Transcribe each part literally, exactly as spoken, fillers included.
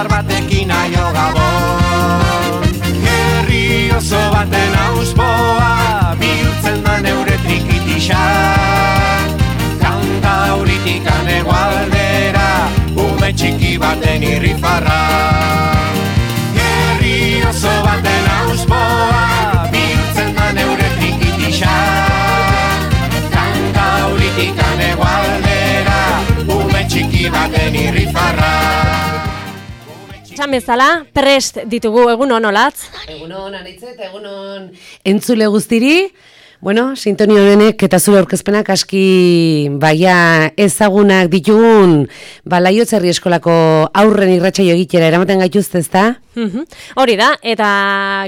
indar batekin aio gabon. Herri oso baten auspoa bihurtzen da neure trikitisa. Kanta auritik anegualdera ume txiki baten irrifarra. Herri oso baten auspoa bihurtzen da neure trikitisa. Kanta auritik anegualdera ume txiki baten irrifarra. Esan bezala, prest ditugu egun on olatz. Egun on, Anitze, eta egun on entzule guztiri. Bueno, sintonio honenek eta zure aurkezpenak aski baia ezagunak ditugun Laiotz Herri Eskolako aurren irratsaio egitera eramaten gaituzte, ezta? Mhm. Hori da, eta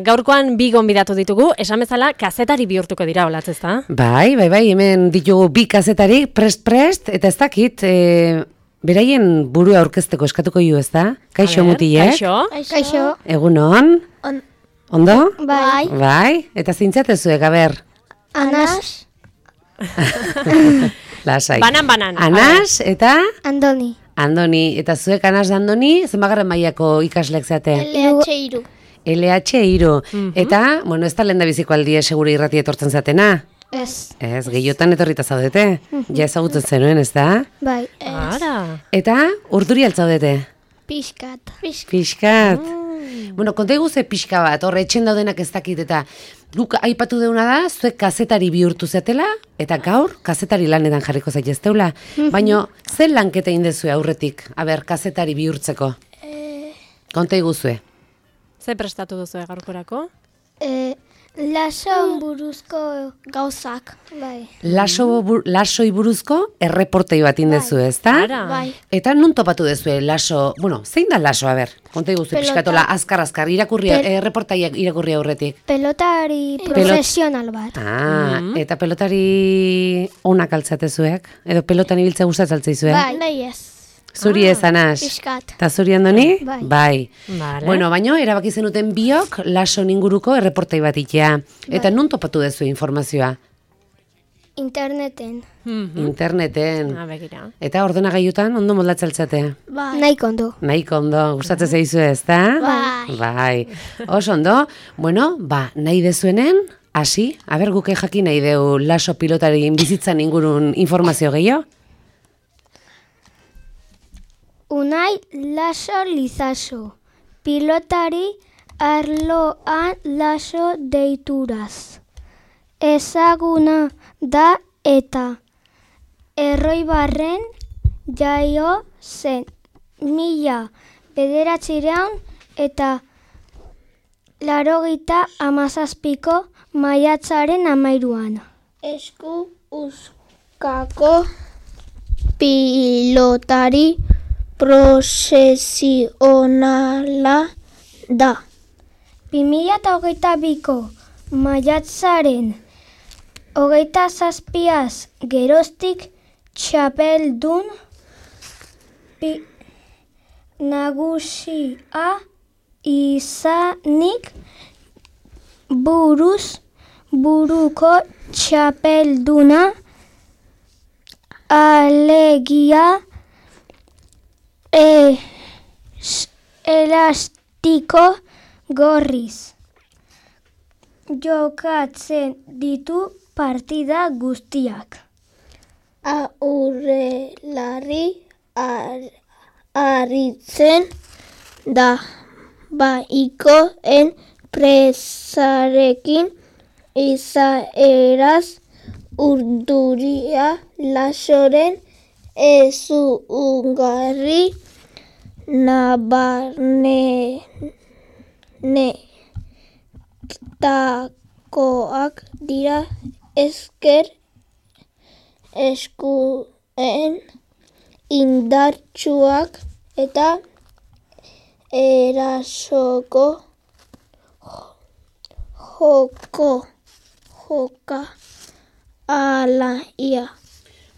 gaurkoan bi gonbidatu ditugu, esan bezala kazetari bihurtuko dira olatz, ezta? Bai, bai, bai, hemen ditugu bi kazetari prest-prest, eta ez dakit, e, beraien burua aurkezteko eskatuko ju, ezta? Kaixo mutilek? Kaixo. Kaixo. Egun on? On. Ondo? Bai. Bai, eta zintzatezuek, aber? Anas. Lasai. Banan, banan. Anas eta? Andoni. Andoni. Eta zuek Anas da Andoni, zenbagarren mailako ikasleak zate? L H hiru. L H hiru. Mhm. Eta, bueno, ez da lehen da biziko aldia segure irrati etortzen zatena? Ez. Ez, gehiotan etorrita zaudete. Ja ezagutzen zenuen, ez da? Bai. Ara. Eta, urduri altzaudete? Piskat. Piskat. Piskat. Bueno, konta iguze pixka bat, horre etxen daudenak ez dakit, eta guk aipatu deuna da, zuek kazetari bihurtu zetela, eta gaur kazetari lanetan jarriko zaitezteula. Baina, zen lanketa indezue aurretik, aber, kazetari bihurtzeko? Konta iguzue. Ze prestatu duzu gaurkorako? Eh, laso buruzko gauzak. Bai. Laso, bur, lasoi buruzko erreportei bat indezu, ez da? Ara. Bai. Eta nun topatu dezue laso, bueno, zein da laso, a ber? Konta iguzue, Pelota. pixkatola, azkar-azkar, irakurria, Pel- erreportaiak irakurria aurretik. Pelotari profesional bat. Ah, eta pelotari onak altzatezuek? Edo pelotan ibiltza gustatzen altzaizuek? Bai. Bai ez. Zuri ez, Anas? Piskat. Eta zuri Andoni? Bai. Bai. Vale. Bueno, baino, erabaki zenuten biok laso inguruko erreportai bat itea. Eta nun topatu dezu informazioa? Interneten. Mhm. Interneten. Ah, begira. Eta ordenagailutan ondo moldatzeltzate? Bai. Nahiko ondo. Nahiko ondo, gustatzen zaizu ez, da? Bai. Bai. Oso ondo. Bueno, ba, nahi dezuenen, hasi, aber guke jakin nahi deu laso pilotari bizitzan ingurun informazio gehiago? Unai Laso Lizaso. Pilotari arloan laso deituraz. Ezaguna da eta Erroibarren jaio zen mila bederatzireun eta larogita amazazpiko maiatzaren amairuan. Esku uzkako pilotari profesionala da. bi mila hogeita biko maiatzaren hogeita zazpiaz geroztik txapeldun pi, nagusia izanik buruz buruko txapelduna alegia e, elastiko gorriz jokatzen ditu partida guztiak. Aurrelari ar, aritzen da baikoen presarekin izaeraz urduria lasoren ezungarri nabarne ne takoak dira esker eskuen indartsuak eta erasoko joko joka alaia.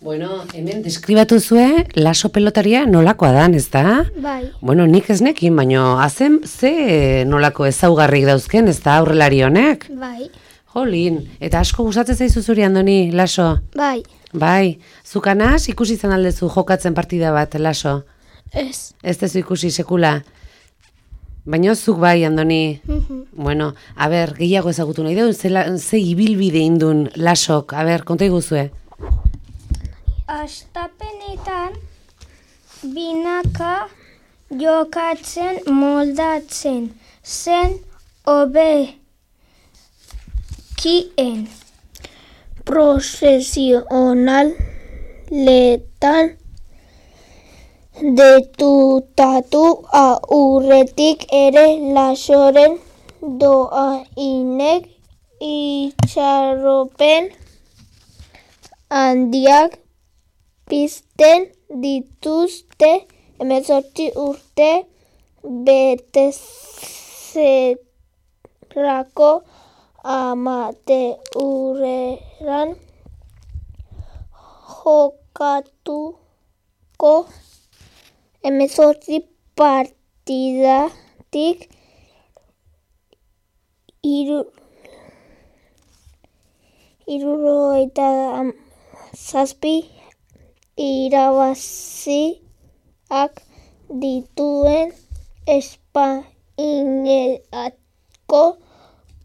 Bueno, hemen deskribatu zue laso pelotaria nolakoa dan, ez da? Bai. Bueno, nik ez nekin, baino azen ze nolako ezaugarrik dauzken, ez da aurrelari honek? Bai. Jolin, eta asko gustatzen zaizu zuri Andoni, laso? Bai. Bai, zukanaz ikusi izan aldezu jokatzen partida bat, laso? Ez. Ez dezu ikusi sekula. Baina zuk bai, Andoni. Bueno, a ber, gehiago ezagutu nahi dugu, ze, ze ibilbide indun lasok, a ber, konta iguzue. Astapenetan binaka jokatzen moldatzen zen hobekien. Profesionaletan detutatu aurretik ere lasoren doainek itxaropen handiak pizten dituzte hemezortzi urte betezerako amateureran jokatuko hemezortzi partidatik iru hirurogeita zazpi irabaziak dituen Espainiako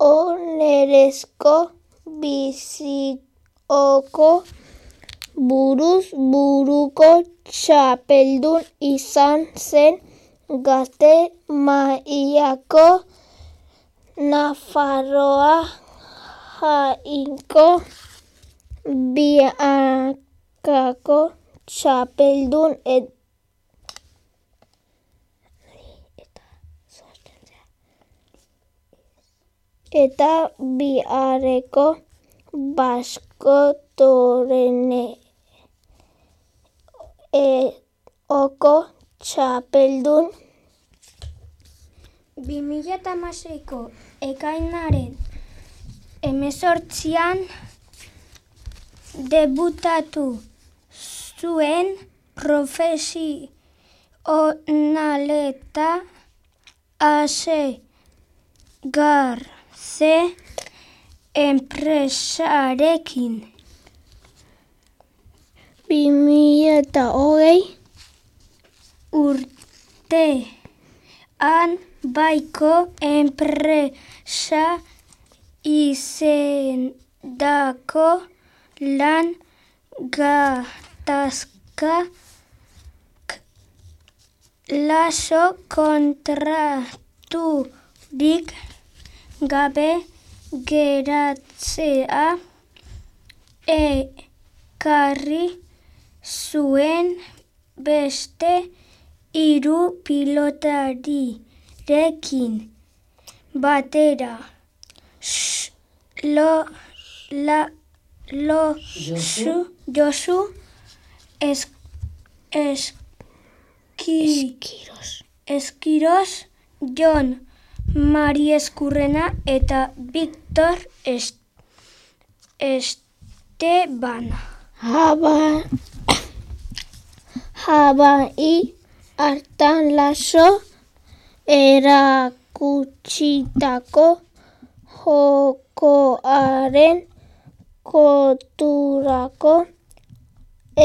onerezko bizioko buruz buruko txapeldun izan zen gazte mailako Nafarroa jainko biakako txapeldun et eta biharreko baskotorene oko txapeldun. bi mila hamaseiko ekainaren hemezortzian debutatu zuen profesionaleta ase garze enpresarekin. bi mila eta hogei urtean baiko enpresa izendako lan gatazka laso kontraturik gabe geratzea ekarri zuen beste hiru pilotarirekin batera. Lo, la, lo, su, Josu es, eski, Eskiros. Eskiros, Jon Mari Eskurrena eta Victor Est, Esteban. Haba, Habai hartan laso erakutsitako jokoaren konturako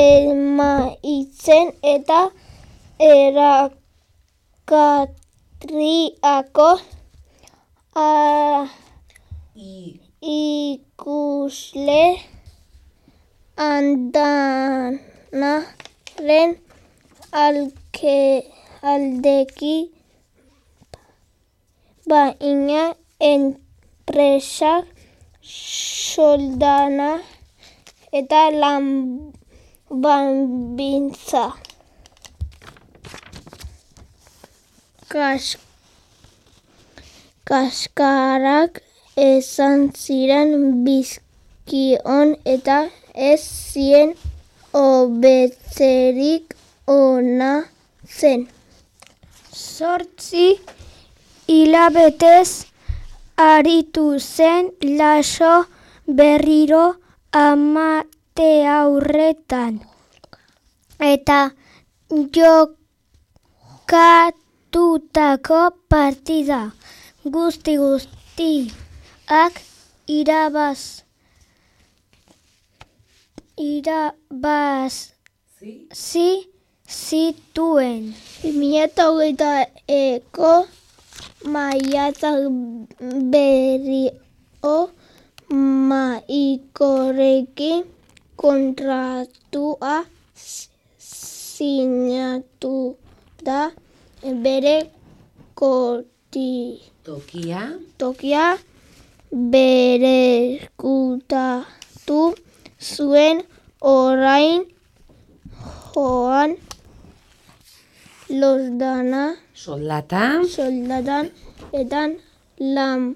emaitzen eta erakatriako ikusle andanaren alke aldeki baina enpresak soldana eta lan baldintza Kas, kaskarak esan ziren bizkion eta ez zien hobetzerik ona zen. Zortzi hilabetez aritu zen laso berriro amateurretan eta jokatutako partida guzti guztiak irabaz irabaz zi zituen. bi mila hogeita eko maiatzak berrio maikorekin kontratua sinatu da bere koti Tokia. tokia bereskutatu zuen orain joan losdana Soldata. soldatan etan lan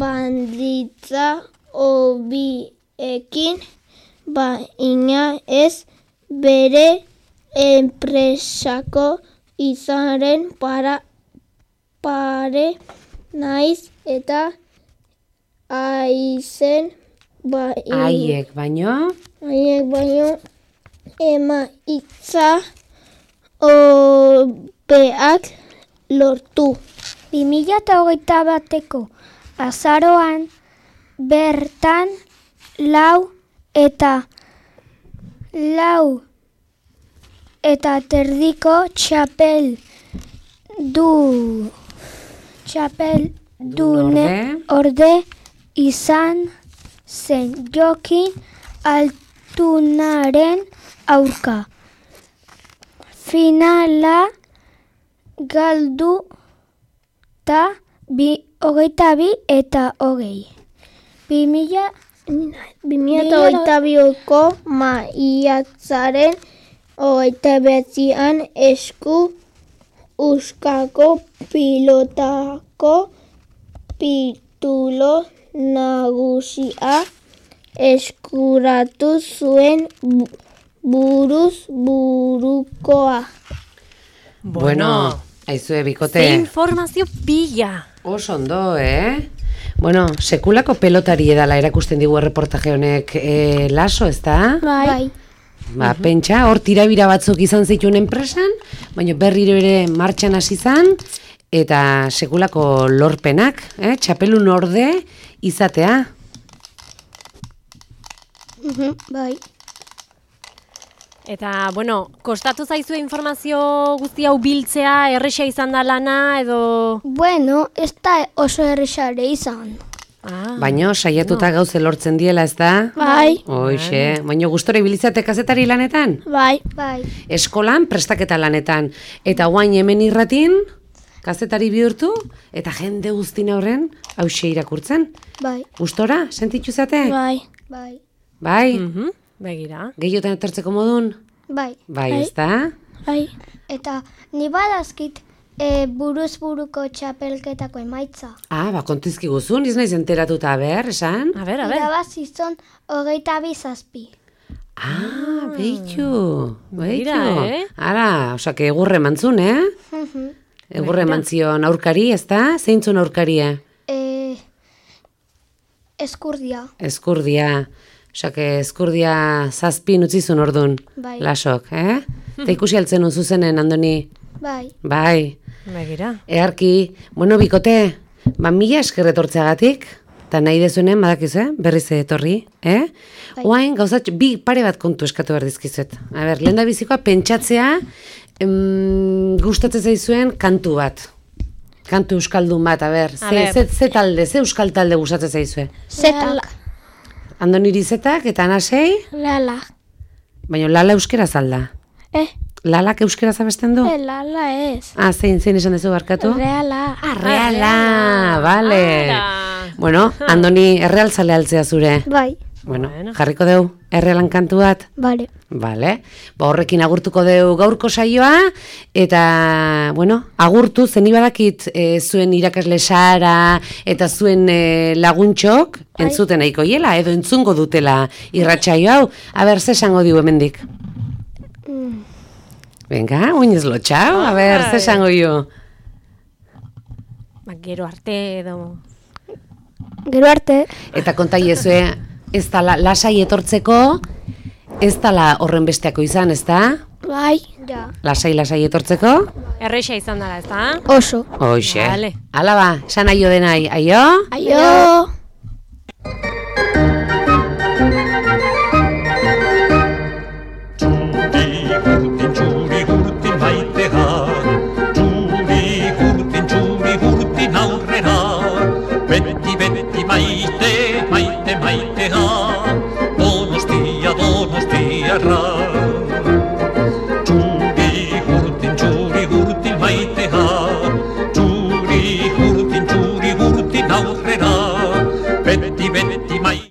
banditza hobiekin baina ez bere enpresako izaren para pare naiz eta aizen bai Haiek baino. haiek baino emaitza hobeak lortu. bi mila hogeita bateko azaroan bertan lau eta lau eta terdiko txapel du txapel dune orde izan zen Jokin Altunaren aurka. Finala galdu ta bi, hogeita bi eta hogei. Bi mila bi mila hogeita biko maiatzaren hogeita behatzian esku Euskako pilotako titulo nagusia eskuratu zuen bu- buruz burukoa. Bueno, aizue bikote. Ze informazio pila. Oso ondo, eh? Bueno, sekulako pelotari edala erakusten digu erreportaje honek e, laso, ez da? Bai. Ba, pentsa, hor tirabira batzuk izan zituen enpresan, baina berriro ere martxan hasi izan, eta sekulako lorpenak, eh? Txapelun orde izatea. Bai. Eta, bueno, kostatu zaizue informazio guzti hau biltzea, erresa izan da lana, edo... Bueno, ez da oso errexare izan. Ah, Baina saiatuta gauze lortzen diela, ez da? Bai. Hoixe, baina gustora ibilizate kazetari lanetan? Bai. Bai. Eskolan, prestaketa lanetan. Eta guain hemen irratin, kazetari bihurtu, eta jende guztin aurren, hauxe irakurtzen. Bai. Gustora, sentitu zate? Bai. Bai. Bai? mhm, begira. Gehiotan etortzeko modun? Bai. Bai, ez da? Bai. Eta ni badazkit e, buruz buruko txapelketako emaitza. Ah, ba, kontizki guzun, iz naiz enteratuta, ber, esan? A ber, a ber. Irabazi zon hogeita bi zazpi. Ah, behitu, behitu. Begira, eh? Ara, osake, egurre mantzun, eh? Egurre mantzion aurkari, ez da? Zeintzun aurkaria? E, eskurdia. Eskurdia. Osake, eskurdia zazpin utzizun ordun. Bai. Lasok, eh? Eta ikusi altzen un zuzenen, Andoni. Bai. Bai. Begira. Earki, bueno, bikote, ba, mila esker etortzeagatik, eta nahi dezuenen, badakizu, eh? Berriz etorri, eh? Bai. Oain, gauzat, bi pare bat kontu eskatu behar dizkizuet. A ber, lehen da bizikoa, pentsatzea, em, gustatzen zaizuen kantu bat. Kantu euskaldun bat, a ber, A ze, ber. ze, ze talde, ze euskal talde gustatzen zaizue. Zetak. Andoniri zetak eta anasei, Lala. baina lala euskera zalda. Eh, Lalak euskera zabesten du? lala ez. Ah, zein, zein esan dezu barkatu? Reala. Ah, reala, vale. Ara. Bueno, Andoni, erreal zale altzea zure. Bai. Bueno, Bueno. jarriko deu, errealan kantu bat. Bale. Vale, ba horrekin agurtuko deu gaurko saioa, eta, bueno, agurtu, zeni badakit e, zuen irakasle Sara eta zuen e, laguntxok, entzuten nahiko hiela, edo entzungo dutela irratsaio hau. A ber, ze esango diu hemendik? Venga, oinez lotxau, a ber, ze esango dio? Ba, gero arte edo... Gero arte. Eta kontaiezue, ez dala lasai etortzeko, ez dala horren besteako izan, ez da? Bai. Ja. Lasai, lasai etortzeko? Erresa izan dara, ez da? Oso. Hoxe. Vale. Hala ba, esan aio denai, aio? Aio. Txuri hurtin, txuri hurtin maitea, txuri hurtin, txuri hurtin beti, beti maite, maite, maitea, Donostia, Donostiarra.